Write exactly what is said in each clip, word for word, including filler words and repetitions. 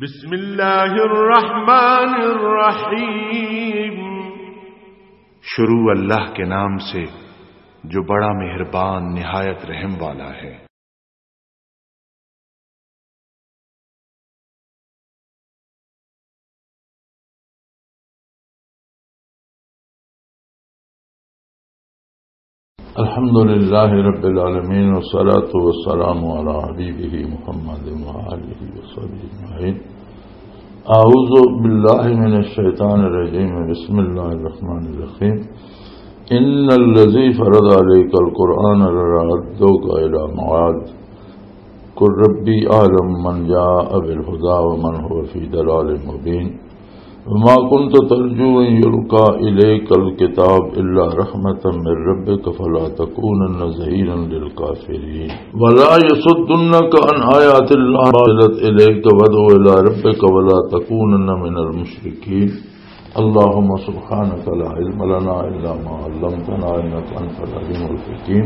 بسم اللہ الرحمن الرحیم۔ شروع اللہ کے نام سے جو بڑا مہربان نہایت رحم والا ہے۔ الحمد لله رب العالمين، والصلاة والسلام على حبيبه محمد وآله وصحبه أجمعين. أعوذ بالله من الشيطان الرجيم. بسم الله الرحمن الرحيم. إن الذي فرض عليك القرآن لرادك إلى معاد. قل ربي أعلم من جاء بالهدى ومن هو في ضلال مبين. وما كنت ترجو أن يلقى إليك الكتاب إلا رحمة من ربك فلا تكونن ظهيرا للكافرين. ولا يصدنك عن آيات الله ما أنزلت إليك وادع إلى ربك ولا تكونن من المشركين. اللهم سبحانك لا علم لنا إلا ما علمتنا إنك أنت العليم الحكيم.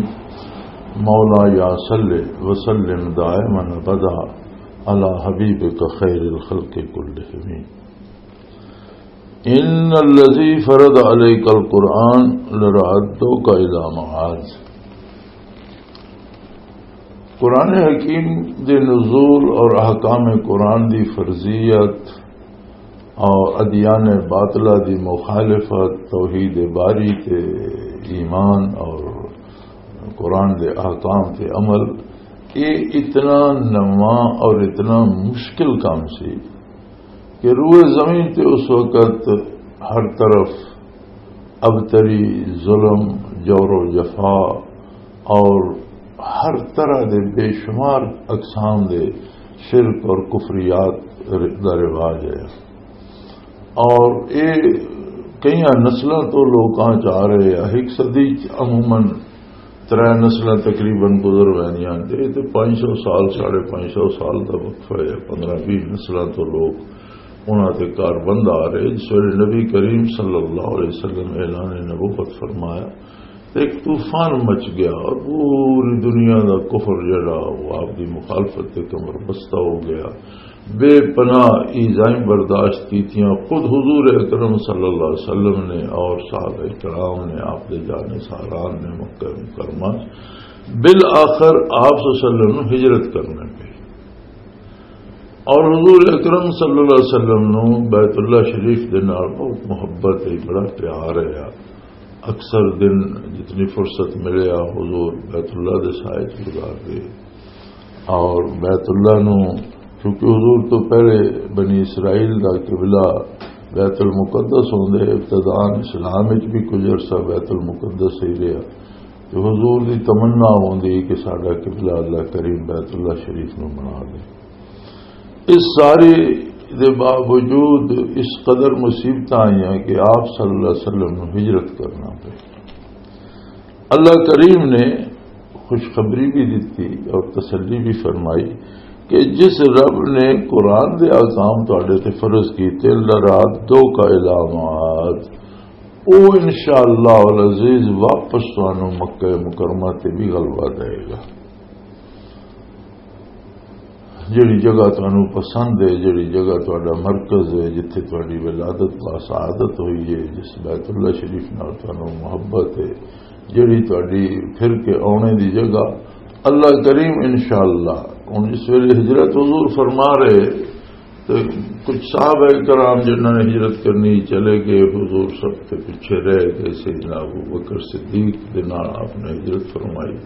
مولاي صل وسلم دائما أبدا على حبيبك خير الخلق كلهم. إن الذي فرض عليك القرآن لرادك إلى معاد. قرآن حکیم دے نزول اور احکام قرآن دی فرضیت اور ادیان باطلہ دی مخالفت، توحید باری تے ایمان اور قرآن دے احکام تے عمل، یہ اتنا نواں اور اتنا مشکل کام سی کہ روئے زمین تے اس وقت ہر طرف ابتری، ظلم، جور و جفا اور ہر طرح دے بے شمار اقسام دے شرک اور کفریات دا رواج ہے۔ اور یہ کئی نسلاں تو لوکاں چ آ رہے ہیں۔ ایک صدی چ عموماً ترے نسلاں تقریباً گزر ویندیاں، تے اے تے پنج سو سال، ساڑھے پنج سو سال دا وقفہ ہے۔ پندرہ بیس نسلاں تو لوگ انہاں تے کار بند آ رہے۔ جس ویلے نبی کریم صلی اللہ علیہ وسلم اعلان نبوت فرمایا، تے ایک طوفان مچ گیا اور پوری دنیا دا کفر جڑا، وہ آپ دی مخالفت تے کمر بستہ ہو گیا۔ بے پناہ ایذائیں برداشت کیتیاں خود حضور اکرم صلی اللہ علیہ وسلم نے اور صحابہ کرام نے، آپ دے جانے ساران نے مکہ مکرمہ۔ بالآخر آپ صلی اللہ علیہ وسلم نوں ہجرت کرنا پئی۔ اور حضور اکرم صلی اللہ علیہ وسلم نوں بیت اللہ شریف دے نال بہت محبت ہے، بڑا پیار ہے۔ اکثر دن جتنی فرصت ملے آ، حضور بیت اللہ دے سائے چ گزار دے۔ اور بیت اللہ نو، کیونکہ حضور تو پہلے بنی اسرائیل دا قبلہ بیت المقدس ہوندے، ابتدان اسلام وچ بھی کچھ عرصہ بیت المقدس ہی رہیا۔ تو حضور دی تمنا ہوندی کہ ساڈا قبلہ اللہ کریم بیت اللہ شریف نو بنا دے۔ اس سارے دے باوجود اس قدر مصیبتاں آئیاں کہ آپ صلی اللہ علیہ وسلم نوں ہجرت کرنا پئی۔ اللہ کریم نے خوشخبری بھی دتی اور تسلی بھی فرمائی کہ جس رب نے قرآن دے احکام تواڈے تے فرض کیتے، لرادوک الی معاد، او انشاءاللہ العزیز واپس تانوں مکہ مکرمہ تے بھی غلبہ دے گا۔ جڑی جگہ تانوں پسند ہے، جڑی جگہ تہاڈا مرکز ہے، جتھے تہاڈی ولادت با سعادت ہوئی ہے، جس بیت اللہ شریف نال تانوں محبت ہے، جڑی تہاڈی پھر کے آنے دی جگہ، اللہ کریم انشاءاللہ۔ ہن جس ویلے ہجرت حضور فرما رہے، تے کچھ صحابہ کرام جنہاں نے ہجرت کرنی چلے گئے، حضور سب تے پیچھے رہ گئے۔ سیدنا ابو بکر صدیق دے نال آپ نے ہجرت فرمائی۔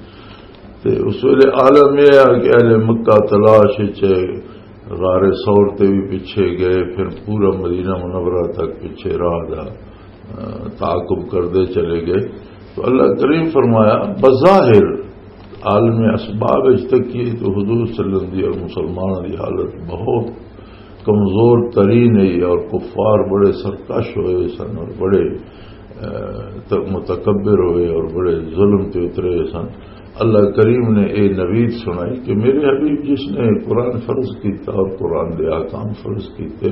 تے اس ویلے عالم یہ ہے کہ اہل مکہ تلاش وچ غار ثور تے بھی پیچھے گئے، پھر پورا مدینہ منورہ تک پیچھے راہ دا، آ، تعاقب کردے چلے گئے۔ تو اللہ کریم فرمایا، بظاہر عالم اسباب وچ تکیے تو حضور صلی اللہ علیہ وسلم دی اور مسلمانوں دی حالت بہت کمزور ترین ہے، اور کفار بڑے سرکش ہوئے سن اور بڑے، آ، ت-، متکبر ہوئے اور بڑے ظلم تے اترے سن۔ اللہ کریم نے اے نوید سنائی کہ میرے حبیب جس نے قرآن فرض کیتا اور قرآن دے احکام فرض کیتے،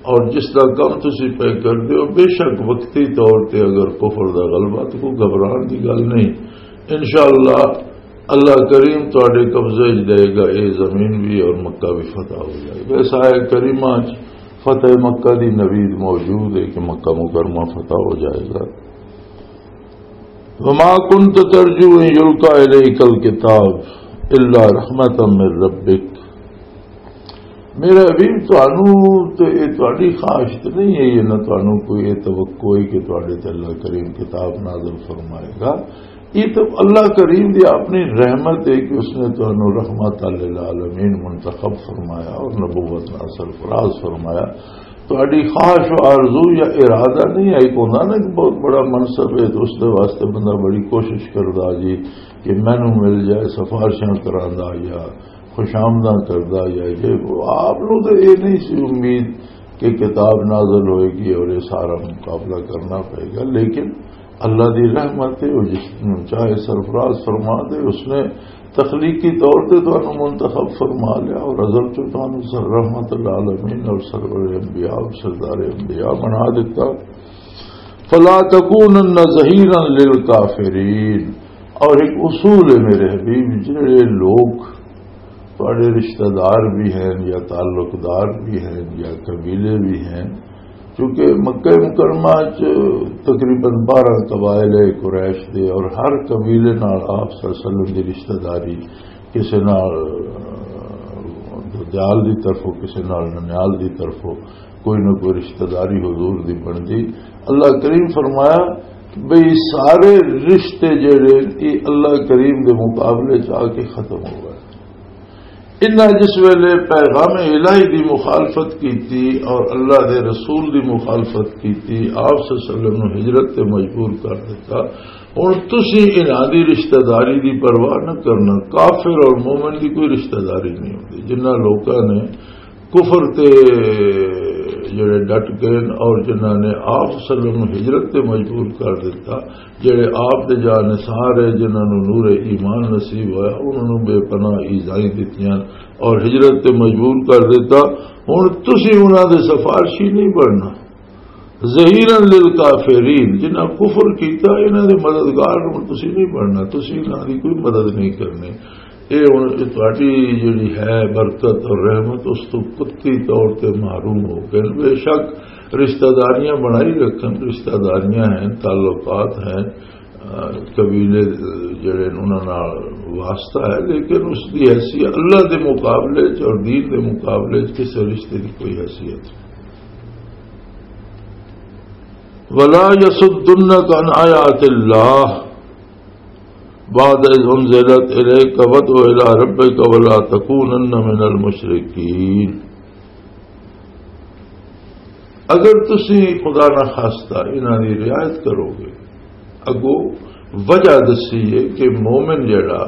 اور جس دا کم تسی پہ کر دیو، بے شک وقتی طور تے اگر کفر دا غلبہ تو کوئی گھبران دی گل نہیں۔ انشاءاللہ اللہ کریم تواڈے قبضے وچ دے گا، اے زمین بھی اور مکہ بھی فتح ہو جائے گا۔ اس آیت کریمہ وچ فتح مکہ دی نوید موجود ہے کہ مکہ مکرمہ فتح ہو جائے گا۔ وما كنت ترجو أن يلقى إليك الكتاب إلا رحمة من ربك۔ میرے حبیب، تانوں تے اے تہاڈی خواہش تے نہیں ہے، یہ نہ تانوں کوئی اے توقع ہے کہ تہاڈے تے اللہ کریم کتاب نازل فرمائے گا۔ یہ تو اللہ کریم دی اپنی رحمت ہے کہ اس نے تانوں رحمت للعالمین منتخب فرمایا اور نبوت نال سرفراز فرمایا۔ تہاڈی خواہش و آرزو یا ارادہ نہیں ہے، ایک ہوندا نا کہ بہت بڑا منصب ہے تو اس دے واسطے بندہ بڑی کوشش کردا جی کہ مینوں مل جائے، سفارشاں کراندا یا خوش آمداں کردا یا یہ وہ۔ آپ نوں تے یہ نہیں سی امید کہ کتاب نازل ہوئے گی اور یہ سارا مقابلہ کرنا پڑے گا، لیکن اللہ دی رحمت ہے، وہ جس نوں چاہے سرفراز فرما دے، اس نے تخلیقی طور تے تانوں منتخب فرما لیا اور ازل چوں تانوں سر رحمت العالمین اور سرور انبیاء اور سردار انبیاء بنا دیتا۔ فلا تکونن ظہیرا للکافرین۔ اور ایک اصول ہے میرے حبیب، جڑے لوگ تہاڈے رشتہ دار بھی ہیں یا تعلق دار بھی ہیں یا قبیلے بھی ہیں، کیونکہ مکہ مکرمہ چ تقریباً بارہ قبائل ہے قریش دے، اور ہر قبیلے نال آپ صلی اللہ علیہ وسلم دی رشتہ داری کسے نال، دجال دی طرفوں، کسے نال ننیال دی طرفوں کوئی نہ کوئی رشتہ داری حضور دی بندی۔ اللہ کریم فرمایا بھئی سارے رشتے جڑے یہ اللہ کریم دے مقابلے چ آ کے ختم ہو گئے۔ انہاں جس ویلے پیغام الہی دی مخالفت کیتی اور اللہ دے رسول دی مخالفت کیتی، آپ صلی اللہ علیہ وسلم نوں ہجرت تے مجبور کر دیتا۔ ہن تسی انہاں دی رشتہ داری دی پرواہ نہ کرنا، کافر اور مومن دی کوئی رشتہ داری نہیں ہوندی۔ جنہاں لوکاں نے کفر تے جڑے ڈٹ گئے اور جنہاں نے آپ صلی اللہ علیہ وسلم نوں ہجرت تے مجبور کر دیتا، جڑے آپ دے جانثار ہے، جنہاں نوں نور ایمان نصیب ہویا، انہاں نوں بے پناہ ایذائیں دتیاں اور ہجرت تے مجبور کر دیتا۔ ہن تسی انہاں دے سفارشی نہیں بننا۔ ظہیرا للکافرین، جنہاں کفر کیتا، انہاں دے مددگار ہن تسی نہیں بننا، تسی انہاں دی کوئی مدد نہیں کرنی۔ اے ہن تہاڈی جڑی ہے برکت اور رحمت، اس تو قطعی طور تے محروم ہو گئے۔ بے شک رشتہ داریاں بنائی رکھن، رشتہ داریاں ہیں، تعلقات ہیں، آ، قبیلے، آ، جڑے انہاں نال واسطہ ہے، لیکن اس دی حیثیت اللہ دے مقابلے چ اور دین دے مقابلے چ کسے رشتے دی کوئی حیثیت نہیں۔ ولا يصدنك عن آيات الله بعد إذ أنزلت إليك وادع إلى ربك ولا تكونن من المشركين۔ اگر تسی خدا نہ خاصتا انہاں دی رعایت کرو گے، اگو وجہ دسی ہے کہ مومن جڑا،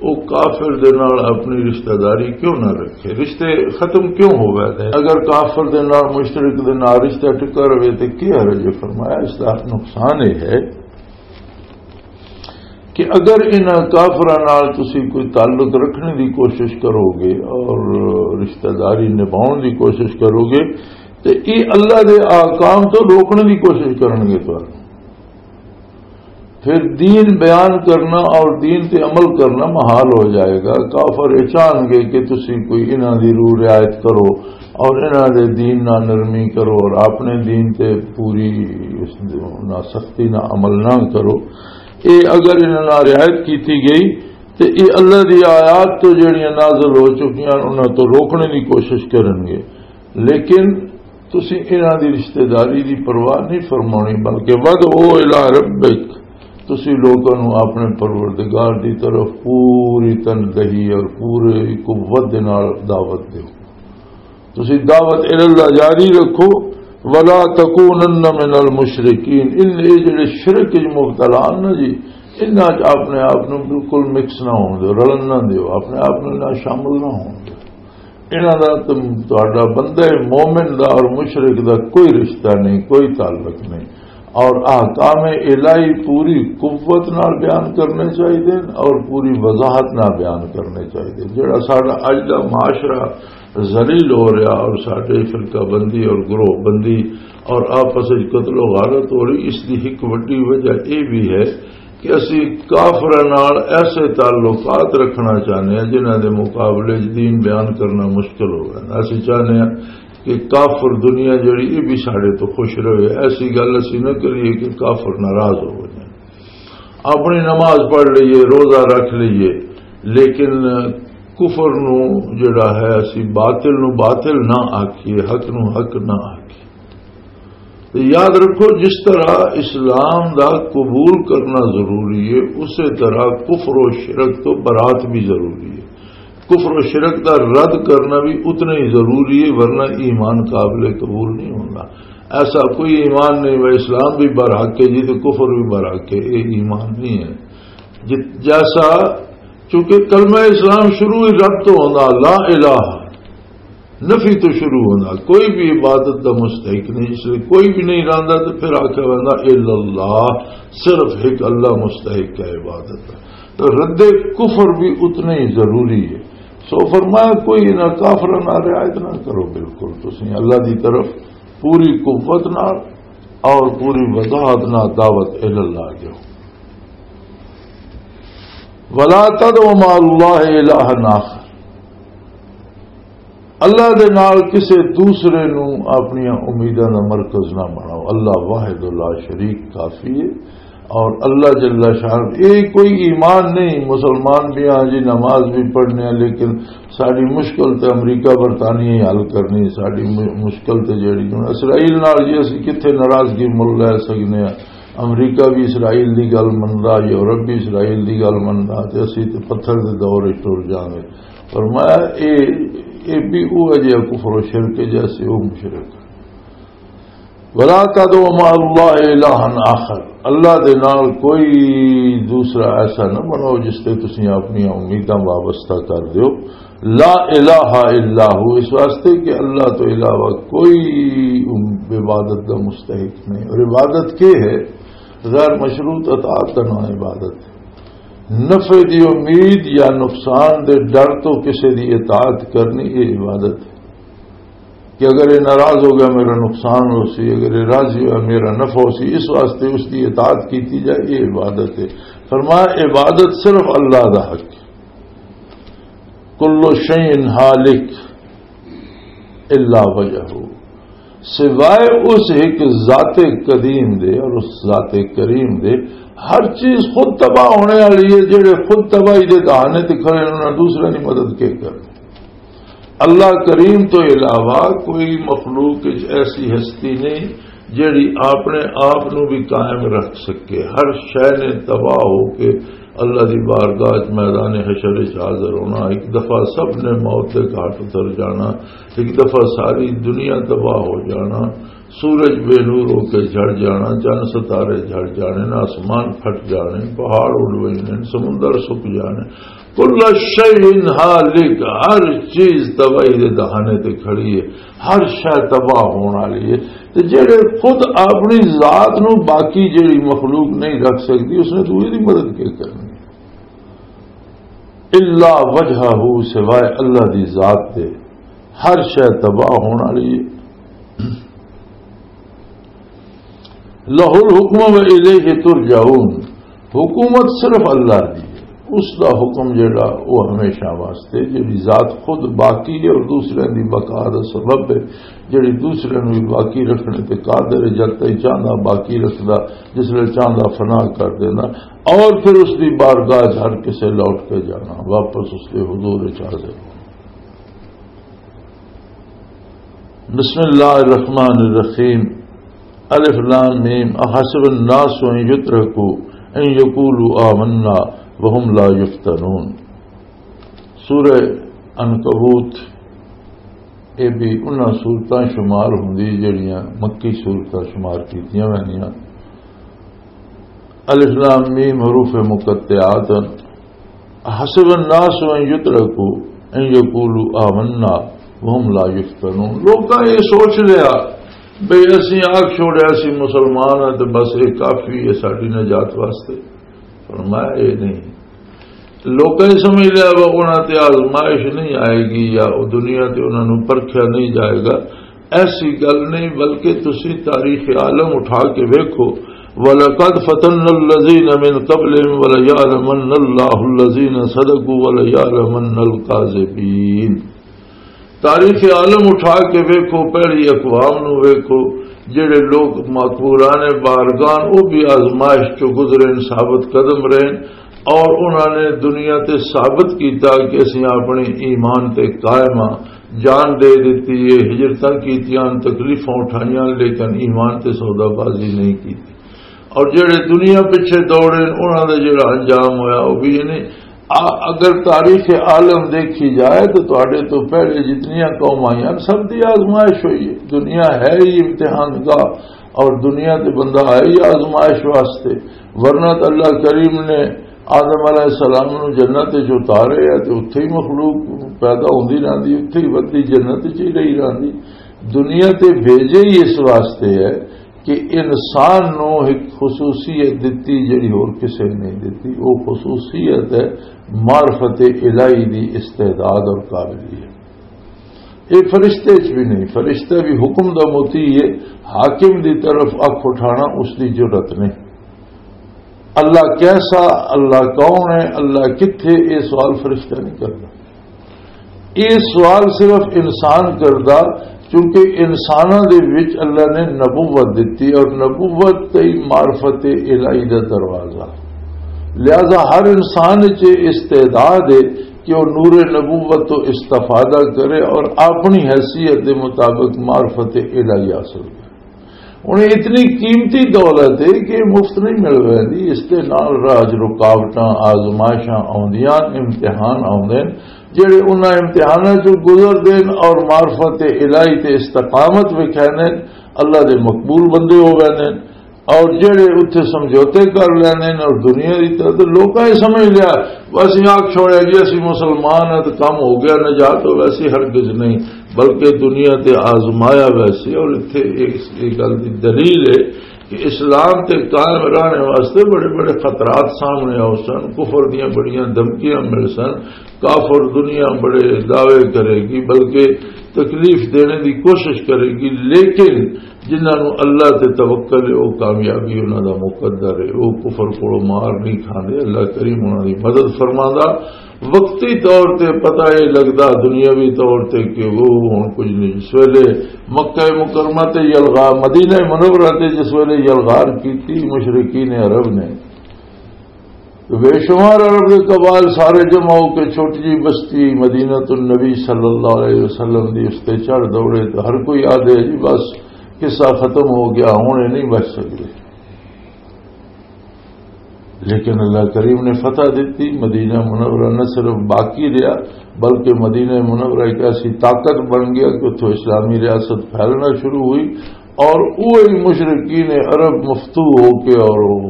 وہ کافر دے نال اپنی رشتہ داری کیوں نہ رکھے، رشتے ختم کیوں ہو گئے تھے؟ اگر کافر دے نال، مشرک دے نال رشتہ ٹکا رہے تو کیا حرج ہے؟ فرمایا اس دا نقصان یہ ہے کہ اگر انہاں کافراں نال تسی کوئی تعلق رکھنے دی کوشش کرو گے اور رشتہ داری نبھاؤن دی کوشش کرو گے، تے یہ اللہ دے احکام تو روکنے دی کوشش کرن گے تانوں۔ پھر دین بیان کرنا اور دین تے عمل کرنا محال ہو جائے گا۔ کافر یہ چاہن گے کہ تسی کوئی انہاں دی روح رعایت کرو اور انہاں دے دین نہ نرمی کرو اور اپنے دین تے پوری نہ سختی نہ عمل نہ کرو۔ اے اگر انہاں نہ رعایت کیتی گئی تے اے اللہ دی آیات تو جڑیاں نازل ہو چکیاں انہاں تو روکنے دی کوشش کرن گے۔ لیکن تسی انہاں دی رشتہ داری دی پرواہ نہیں فرمانی، بلکہ ودعو الی ربک، تسی لوکاں نوں اپنے پروردگار دی طرف پوری تندہی اور پوری قوت دے نال دعوت دیو۔ تسی دعوت الی اللہ جاری رکھو، ولا تکونن من المشرکین، ان اے جڑے شرک وچ مبتلا ہن نا جی، انہاں وچ اپنے آپ نوں بالکل مکس نہ ہون دیو، رلن نہ دیو، اپنے آپ نوں نہ شامل نہ ہون دیو۔ انہاں دا تے تہاڈا بندہ مومن دا اور مشرک دا کوئی رشتہ نہیں، کوئی تعلق نہیں۔ اور احکام الہی پوری قوت نال بیان کرنے چاہیے اور پوری وضاحت نال بیان کرنے چاہیے۔ جڑا ساڈا اج دا معاشرہ ذلیل ہو رہا اور ساڈے فرقہ بندی اور گروہ بندی اور آپس وچ قتل و غارت ہو رہی، اس دی ایک وڈی وجہ یہ بھی ہے کہ اسی کافراں نال ایسے تعلقات رکھنا چاہنے ہیں جنہاں دے مقابلے 'چ دین بیان کرنا مشکل ہو گیا۔ اسی چاہنے ہیں کہ کافر دنیا جڑی، یہ بھی ساڈے تو خوش رہے۔ ایسی گل اسی نہ کریے کہ کافر ناراض ہو جائیں۔ اپنی نماز پڑھ لئیے، روزہ رکھ لئیے، لیکن کفر نو جڑا ہے، اسی باطل نو باطل نہ آکھیے، حق نو حق نہ آکھیے۔ تے یاد رکھو، جس طرح اسلام دا قبول کرنا ضروری ہے، اسی طرح کفر و شرک تو برات بھی ضروری ہے۔ کفر و شرک دا رد کرنا بھی اتنا ہی ضروری ہے، ورنہ ایمان قابل قبول نہیں ہونا۔ ایسا کوئی ایمان نہیں، وہ اسلام بھی برحق ہے جی، تو کفر بھی برحق ہے، یہ ایمان نہیں ہے۔ جت-، جیسا، چونکہ کلمہ اسلام شروع ہی رب تو ہوندا، لا الہ، نفی تو شروع ہوندا، کوئی بھی عبادت دا مستحق نہیں، اس لیے کوئی بھی نہیں رہندا، تو پھر آکھیا ویندا الا اللہ، صرف ایک اللہ مستحق ہے عبادت دا۔ تو رد کفر بھی اتنا ہی ضروری ہے۔ سو فرمایا، کوئی نہ کافراں نال رعایت نہ کرو، بالکل تسی اللہ دی طرف پوری قوت نال اور پوری وضاحت نال دعوت الی اللہ دیو۔ ولا تدعوا مع اللہ الہا آخر، اللہ دے نال کسے دوسرے نو اپنی امیداں دا مرکز نہ بناؤ۔ اللہ واحد لا شریک کافی ہے، اور اللہ جل شان، یہ کوئی ایمان نہیں۔ مسلمان بھی ہاں جی، نماز بھی پڑھنے ہیں، لیکن ساری مشکل تے امریکہ برطانیہ ہی حل کرنی۔ ساری م-، مشکل تے جڑی، ہن اسرائیل نال جی اسی کتھے ناراضگی مل لے سکنے ہیں؟ امریکہ بھی اسرائیل دی گل مندا، یورپ بھی اسرائیل دی گل مندا، تے اسی تے پتھر دے دور وچ ٹر جاویں۔ فرمایا، اے، اے بھی وہ جہا کفر و شرک ہے جیسے وہ مشرک۔ ولا تدعوا مع اللہ الہا آخر، اللہ دے نال کوئی دوسرا ایسا نہ بناؤ جس تے تسی اپنی امیداں وابستہ کر دیو۔ لا الہ الا ہو، اس واسطے کہ اللہ تو علاوہ کوئی عبادت دا مستحق نہیں۔ اور عبادت کیا ہے؟ غیر مشروط اطاعت کا نام عبادت ہے۔ نفع دی امید یا نقصان دے ڈر تو کسے دی اطاعت کرنی، یہ عبادت ہے۔ کہ اگر یہ ناراض ہو گیا، میرا نقصان ہو سی، اگر یہ راضی ہوا، میرا نفع ہو سی، اس واسطے اس دی اطاعت کیتی جائے، یہ عبادت ہے۔ فرمایا، عبادت صرف اللہ دا حق ہے۔ کل شیء ہالک الا وجہہ، سوائے اس ایک ذات قدیم دے اور اس ذات کریم دے، ہر چیز خود تباہ ہونے والی ہے۔ جڑے خود تباہی دے دہانے تے کھڑے، انہاں دوسرے دی مدد کے کرنی؟ اللہ کریم تو علاوہ کوئی مخلوق وچ ایسی ہستی نہیں جڑی اپنے آپ نو بھی قائم رکھ سکے۔ ہر شے نے تباہ ہو کے اللہ دی بارگاہ وچ میدان حشر وچ حاضر ہونا۔ ایک دفعہ سب نے موت دے گھاٹ اتر جانا، ایک دفعہ ساری دنیا تباہ ہو جانا۔ سورج بے نور ہو کے جھڑ جانا، چند ستارے جھڑ جانے، آسمان پھٹ جانے، پہاڑ اڑ وجنے، سمندر سک جانے۔ کل شیء ہالک، ہر چیز تباہی دے دہانے تے کھڑی ہے، ہر شے تباہ ہون والی ہے۔ تے جڑے خود اپنی ذات نو باقی جڑی مخلوق نہیں رکھ سکتی، اس نے دوسری دی مدد کیا کرنی؟ الا وجہہ، سوائے اللہ دی ذات دے، ہر شے تباہ ہون والی ہے۔ لہ الحکم و الیہ ترجعون، حکومت صرف اللہ دی ہے، اس دا حکم جڑا، وہ ہمیشہ واسطے، جڑی ذات خود باقی ہے اور دوسرے دی بقا دا سبب ہے، جڑی دوسرے نوں بھی باقی رکھنے تے قادر ہے، جد تائیں چاہندا باقی رکھدا، جس لے چاہندا فنا کر دینا، اور پھر اس دی بارگاہ وچ ہر کسے لوٹ کے جانا، واپس اس دے حضور وچ حاضر ہونا۔ بسم اللہ الرحمن الرحیم۔ الف لام میم، احسب الناس ان یترکوا ان یقولوا آمنا وهم لا یفتنون۔ سورہ عنکبوت، یہ بھی انہاں سورتاں شمار ہوندی جڑیاں مکی سورتاں شمار کیتیاں ویندیاں۔ الف لام میم حروف مقطعات۔ حسب الناس ان یترکوا ان یقولوا آمنا وهم لا یفتنون۔ لوکاں یہ سوچ لیا بھئی اسی آکھ چھوڑیا سی مسلمان ہیں تے بس یہ کافی ہے ساڈی نجات واسطے۔ فرمایا یہ نہیں۔ لوکاں یہ سمجھ لیا وہ انہاں تے آزمائش نہیں آئے گی یا وہ دنیا تے انہاں نوں پرکھیا نہیں جائے گا۔ ایسی گل نہیں، بلکہ تسی تاریخ عالم اٹھا کے ویکھو، وَلَقَدْ فَتَنَّا الَّذِينَ مِنْ قَبْلِهِمْ وَلَيَعْلَمَنَّ اللَّهُ الَّذِينَ صَدَقُوا وَلَيَعْلَمَنَّ الْكَاذِبِينَ۔ تاریخ عالم اٹھا کے ویکھو، پہلی اقوام نو ویکھو، جڑے لوگ مقبولان بارگان، وہ بھی آزمائش چو گزرے، ثابت قدم رہے، اور انہاں نے دنیا تے ثابت کیتا کہ اسی اپنے ایمان تے قائم ہاں۔ جان دے دتی ہے، ہجرتاں کیتیاں، تکلیفاں اٹھائیاں، لیکن ایمان تے سودا بازی نہیں کیتی۔ اور جڑے دنیا پیچھے دوڑے، انہاں دا جڑا انجام ہویا، وہ بھی یعنی آ-، اگر تاریخ عالم دیکھی جائے تو تہاڈے تو پہلے جتنیاں قوم آئیاں، سب دی آزمائش ہوئی ہے۔ دنیا ہے ہی امتحان گاہ، اور دنیا تے بندہ آئے ہی آزمائش واسطے، ورنہ تو اللہ کریم نے آدم علیہ السلام نو جنت وچ اتارے ہے تے اتھے ہی مخلوق پیدا ہوندی رہندی، اتھے ہی ودی جنت وچ ہی رہی رہندی۔ دنیا تے بھیجے ہی اس واسطے ہے کہ انسان نو ایک خصوصیت دتی جڑی ہور کسے نے نہیں دتی۔ وہ خصوصیت ہے معرفت الہی دی استعداد اور قابلیت۔ یہ فرشتے چ بھی نہیں، فرشتہ بھی حکم دا مطیع ہے، حاکم دی طرف اکھ اٹھانا اس دی جرت نہیں۔ اللہ کیسا، اللہ کون ہے، اللہ کتھے، یہ سوال فرشتہ نہیں کرتا۔ یہ سوال صرف انسان کردا، کیونکہ انساناں دے وچ اللہ نے نبوت دتی اور نبوت تے ہی معرفت الہی دا دروازہ۔ لہذا ہر انسان وچ یہ استعداد ہے کہ وہ نور نبوت تو استفادہ کرے اور اپنی حیثیت دے مطابق معرفت الہی حاصل کرے۔ ہن اتنی قیمتی دولت ہے کہ مفت نہیں مل رہی، اس دے نال راج رکاوٹاں، آزمائشاں آوندیاں، امتحان آوندے نے، جڑے انہاں امتحاناں چوں گزردے نے اور معرفت الہی تے استقامت وکھاندے نے، اللہ دے مقبول بندے ہو ویندے نے۔ اور جڑے اتھے سمجھوتے کر لینے نے اور دنیا دی طرف، تو لوکاں یہ سمجھ لیا، بس یہ آگ چھوڑیا جی، اسی مسلمان ہیں تو کم ہو گیا، نجات تو ویسی ہرگز نہیں، بلکہ دنیا تے آزمایا ویسی۔ اور اتھے اس، یہ گل دی دلیل ہے کہ اسلام تے قائم رہنے واسطے بڑے بڑے خطرات سامنے آؤ سن، کفر دیاں بڑیاں دھمکیاں مل سن، کافر دنیا بڑے دعوے کرے گی، بلکہ تکلیف دینے دی کوشش کرے گی، لیکن جنہاں نوں اللہ تے توکل ہے، وہ کامیابی انہاں دا مقدر ہے، وہ کفر کولوں مار نہیں کھاندے۔ اللہ کریم انہاں دی مدد فرماندا۔ وقتی طور تے پتہ یہ لگدا، دنیاوی طور تے، کہ وہ ہن کچھ نہیں۔ جس ویلے مکہ مکرمہ تے یلغار، مدینہ منورہ تے جس ویلے یلغار کیتی مشرکین عرب نے، تو بے شمار عرب دے قبائل سارے جمع ہو کے چھوٹی جی بستی مدینہ النبی صلی اللہ علیہ وسلم دی اس تے چڑھ دوڑے، تو ہر کوئی آدھے، "جی بس، قصہ ختم ہو گیا، ہن یہ نہیں بچ سکدے۔" لیکن اللہ کریم نے فتح دیتی، مدینہ منورہ نہ صرف باقی رہا، بلکہ مدینہ منورہ ایک ایسی طاقت بن گیا کہ اتھوں اسلامی ریاست پھیلنا شروع ہوئی، اور وہی مشرکین عرب مفتوح ہو کے، اور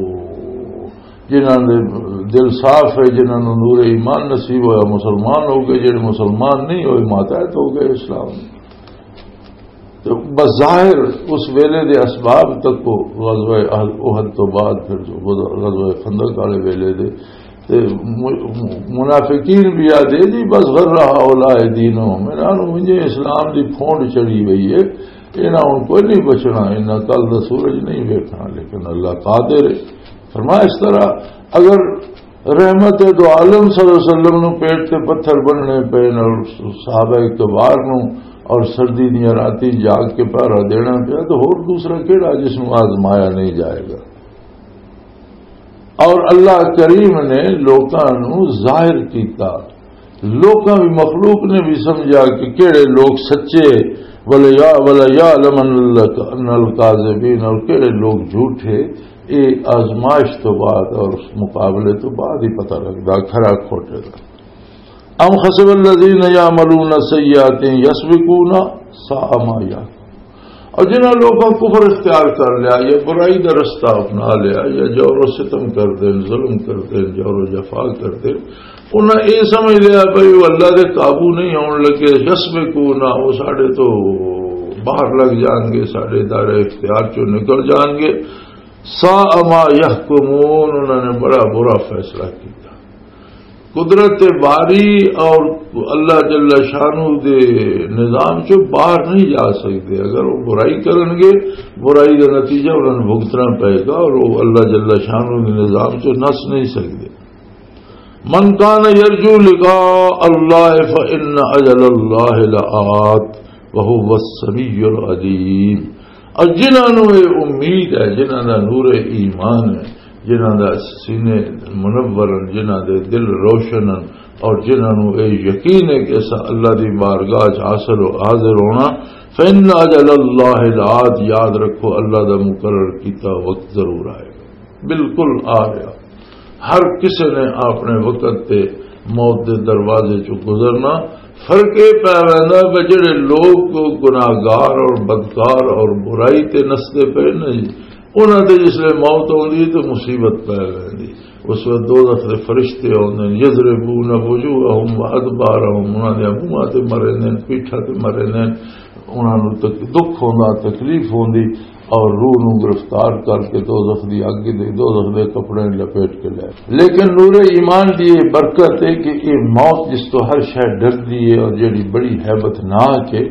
جنہاں دے دل صاف ہے، جنہاں نوں نور ایمان نصیب ہویا، مسلمان ہو گئے، جڑے مسلمان نہیں ہوئے، ماتحت ہو گئے اسلام۔ تو بظاہر اس ویلے دے اسباب تک کو غزوہ احد تو بعد، پھر جو غزوہ خندق والے ویلے دے، تے م-، منافقین بھی آدھے، "جی بس غر رہا اولا دینوں، میرا نوں مجھے اسلام دی پھونڈ چڑھی ہوئی ہے، انہاں ہن کوئی نہیں بچنا، انہاں کل دا سورج نہیں ویکھنا۔" لیکن اللہ قادر ہے۔ فرمایا اس طرح، اگر رحمت دو عالم صلی اللہ علیہ وسلم نو پیٹ تے پتھر بننے پے اور صحابہ کبار نو اور سردی دیاں راتیں جاگ کے پہرا دینا پیا، تو ہور دوسرا کیڑا جس نو آزمایا نہیں جائے گا؟ اور اللہ کریم نے لوکاں نو ظاہر کیتا، لوکاں بھی، مخلوق نے بھی سمجھا کہ کیڑے لوگ سچے، وَلَيَعْلَمَنَّ الْكَاذِبِينَ، اور کیڑے لوگ جھوٹے۔ یہ آزمائش تو بعد اور اس مقابلے تو بعد ہی پتہ لگدا کھرا کھوٹے دا۔ أَمْ حَسِبَ الَّذِينَ يَعْمَلُونَ السَّيِّئَاتِ أَنْ يَسْبِقُونَا، سَاءَ مَا يَحْكُمُونَ۔ اور جنہاں لوگوں کفر اختیار کر لیا، یہ برائی دا رستہ اپنا لیا، یا جور و ستم کر دیں، ظلم کر دیں، جور و جفا کر دیں، انہاں یہ سمجھ لیا بھئی وہ اللہ دے قابو نہیں آن لگے، یسبقونا، وہ ساڈے تو باہر لگ جان گے، ساڈے دائرہ اختیار چوں نکل جان گے۔ ساء ما یحکمون، انہاں نے بڑا برا فیصلہ کیتا۔ قدرت باری اور اللہ جل شانہ دے نظام چوں باہر نہیں جا سکتے۔ اگر وہ برائی کرن گے، برائی دا نتیجہ انہاں نوں بھگتنا پئے گا اور وہ اللہ جل شانہ دے نظام چوں نس نہیں سکتے۔ من کان یرجو لقاء اللہ فإن اجل اللہ لآت وہو السمیع العلیم۔ اور جنہاں نوں یہ امید ہے، جنہاں دا نور ایمان ہے، جنہاں دا سینے منور ہیں، جنہاں دے دل روشن ہیں، اور جنہاں نوں یہ یقین ہے کہ اسا اللہ دی بارگاہ چ حاصل ہو، حاضر ہونا، فإن اجل اللہ لآت، یاد رکھو اللہ دا مقرر کیتا وقت ضرور آئے گا، بالکل آ گیا۔ ہر کسے نے اپنے وقت تے موت دے دروازے چوں گزرنا۔ فرق یہ پی ویندا کہ جڑے لوگ گناہگار اور بدکار اور برائی تے نسدے پے نے جی، انہاں تے جس لے موت آوندی ہے تے مصیبت پی ویندی۔ اس وقت دوزخ دے فرشتے آوندے نے، یضربون وجوہہم وادبارہم، انہاں دے منہاں تے مرے نے، پیٹھاں تے مرے نے، انہاں نوں تک-، دکھ ہوندا، تکلیف ہوندی، اور روح نوں گرفتار کر کے دوزخ دی اگ دے، دوزخ دے کپڑے لپیٹ کے لے۔ لیکن نور ایمان دی یہ برکت ہے کہ یہ موت جس تو ہر شے ڈردی ہے اور جڑی بڑی ہیبت ناک ہے،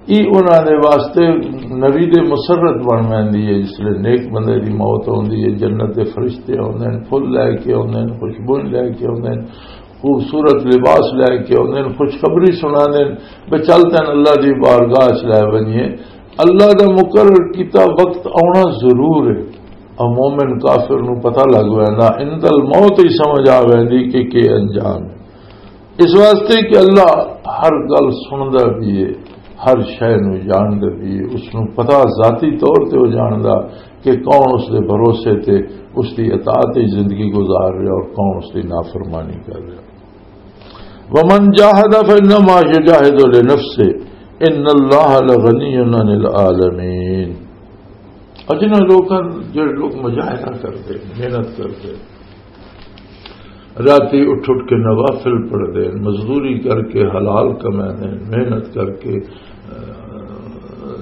یہ انہاں دے واسطے نوید مسرت بن ویندی ہے۔ جس لے نیک بندے دی موت ہوندی ہے، جنت دے فرشتے ہوندے ہیں، پھول لے کے ہوندے ہیں، خوشبو لے کے ہوندے ہیں، خوبصورت لباس لے کے آندے نے، خوشخبری سناندے نے، بے چل تین اللہ دی بارگاہ چ لے ونجے۔ اللہ دا مقرر کیتا وقت آنا ضرور ہے۔ اور مومن کافر نو پتہ لگ ویندا، عند الموت ہی سمجھ آ ویندی کہ کی انجام ہے۔ اس واسطے کہ اللہ ہر گل سندا بھی ہے، ہر شے نو جاندا بھی ہے، اس نو پتہ ذاتی طور تے وہ جاندا کہ کون اس دے بھروسے تے اس دی اطاعت وچ زندگی گزار رہا اور کون اس دی نافرمانی کر رہا۔ ومن جاہد فانما یجاہد لنفسہ ان اللہ لغنی عن العالمین۔ اور جنہاں لوکاں، جڑے لوگ مجاہدہ کردے، محنت کردے، راتی اٹھ اٹھ کے نوافل پڑھدے، مزدوری کر کے حلال کماندے، محنت کر کے، آ،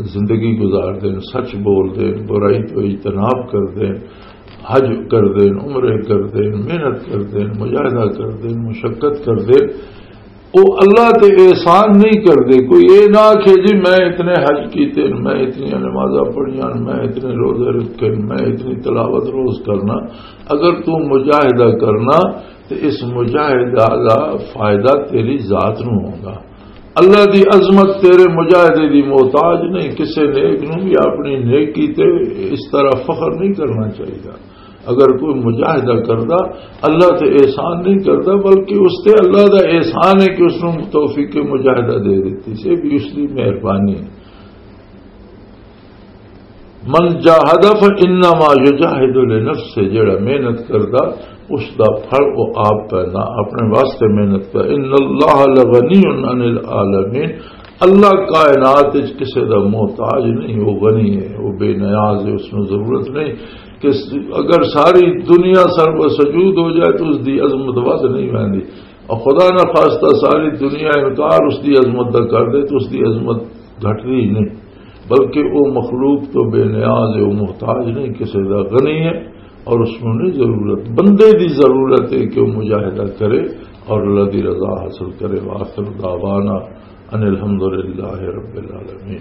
زندگی گزاردے، سچ بولدے، برائی تو اجتناب کردے، حج کردے، عمرے کردے، محنت کردے، مجاہدہ کردے، مشقت کردے، او اللہ تے احسان نہیں کردے۔ کوئی اے نہ آکھے، "جی، میں اتنے حج کیتے، میں اتنی نمازاں پڑھیاں، میں اتنے روزے رکھے، میں اتنی تلاوت روز کرنا۔" اگر تو مجاہدہ کرنا، تے اس مجاہدہ دا فائدہ تیری ذات نو ہوگا۔ اللہ دی عظمت تیرے مجاہدے دی محتاج نہیں۔ کسے نیک نو بھی اپنی نیکی تے اس طرح فخر نہیں کرنا چاہیے۔ اگر کوئی مجاہدہ کردا، اللہ تے احسان نہیں کردا، بلکہ اس تے اللہ دا احسان ہے کہ اس نو توفیق مجاہدہ دے دیتی، سے بھی اس دی مہربانی ہے۔ من جاہد فانما یجاہد لنفسہ، جڑا محنت کردا، اس دا پھل وہ آپ پیندا، اپنے واسطے محنت کر۔ ان اللہ لغنی عن العالمین، اللہ کائنات وچ کسے دا محتاج نہیں، وہ غنی ہے، وہ بے نیاز ہے، اس نوں ضرورت نہیں کہ س-، اگر ساری دنیا سر و سجود ہو جائے تو اس دی عظمت ود نہیں ویندی، اور خدا نہ خواستہ ساری دنیا انکار اس دی عظمت دا کر دے تو اس دی عظمت گھٹدی ہی نہیں، بلکہ وہ مخلوق تو بے نیاز ہے، وہ محتاج نہیں کسے دا، غنی ہے اور اس نوں نہیں ضرورت۔ بندے دی ضرورت ہے کہ وہ مجاہدہ کرے اور اللہ دی رضا حاصل کرے۔ وآخر دعوانا ان الحمدللہ رب العالمین۔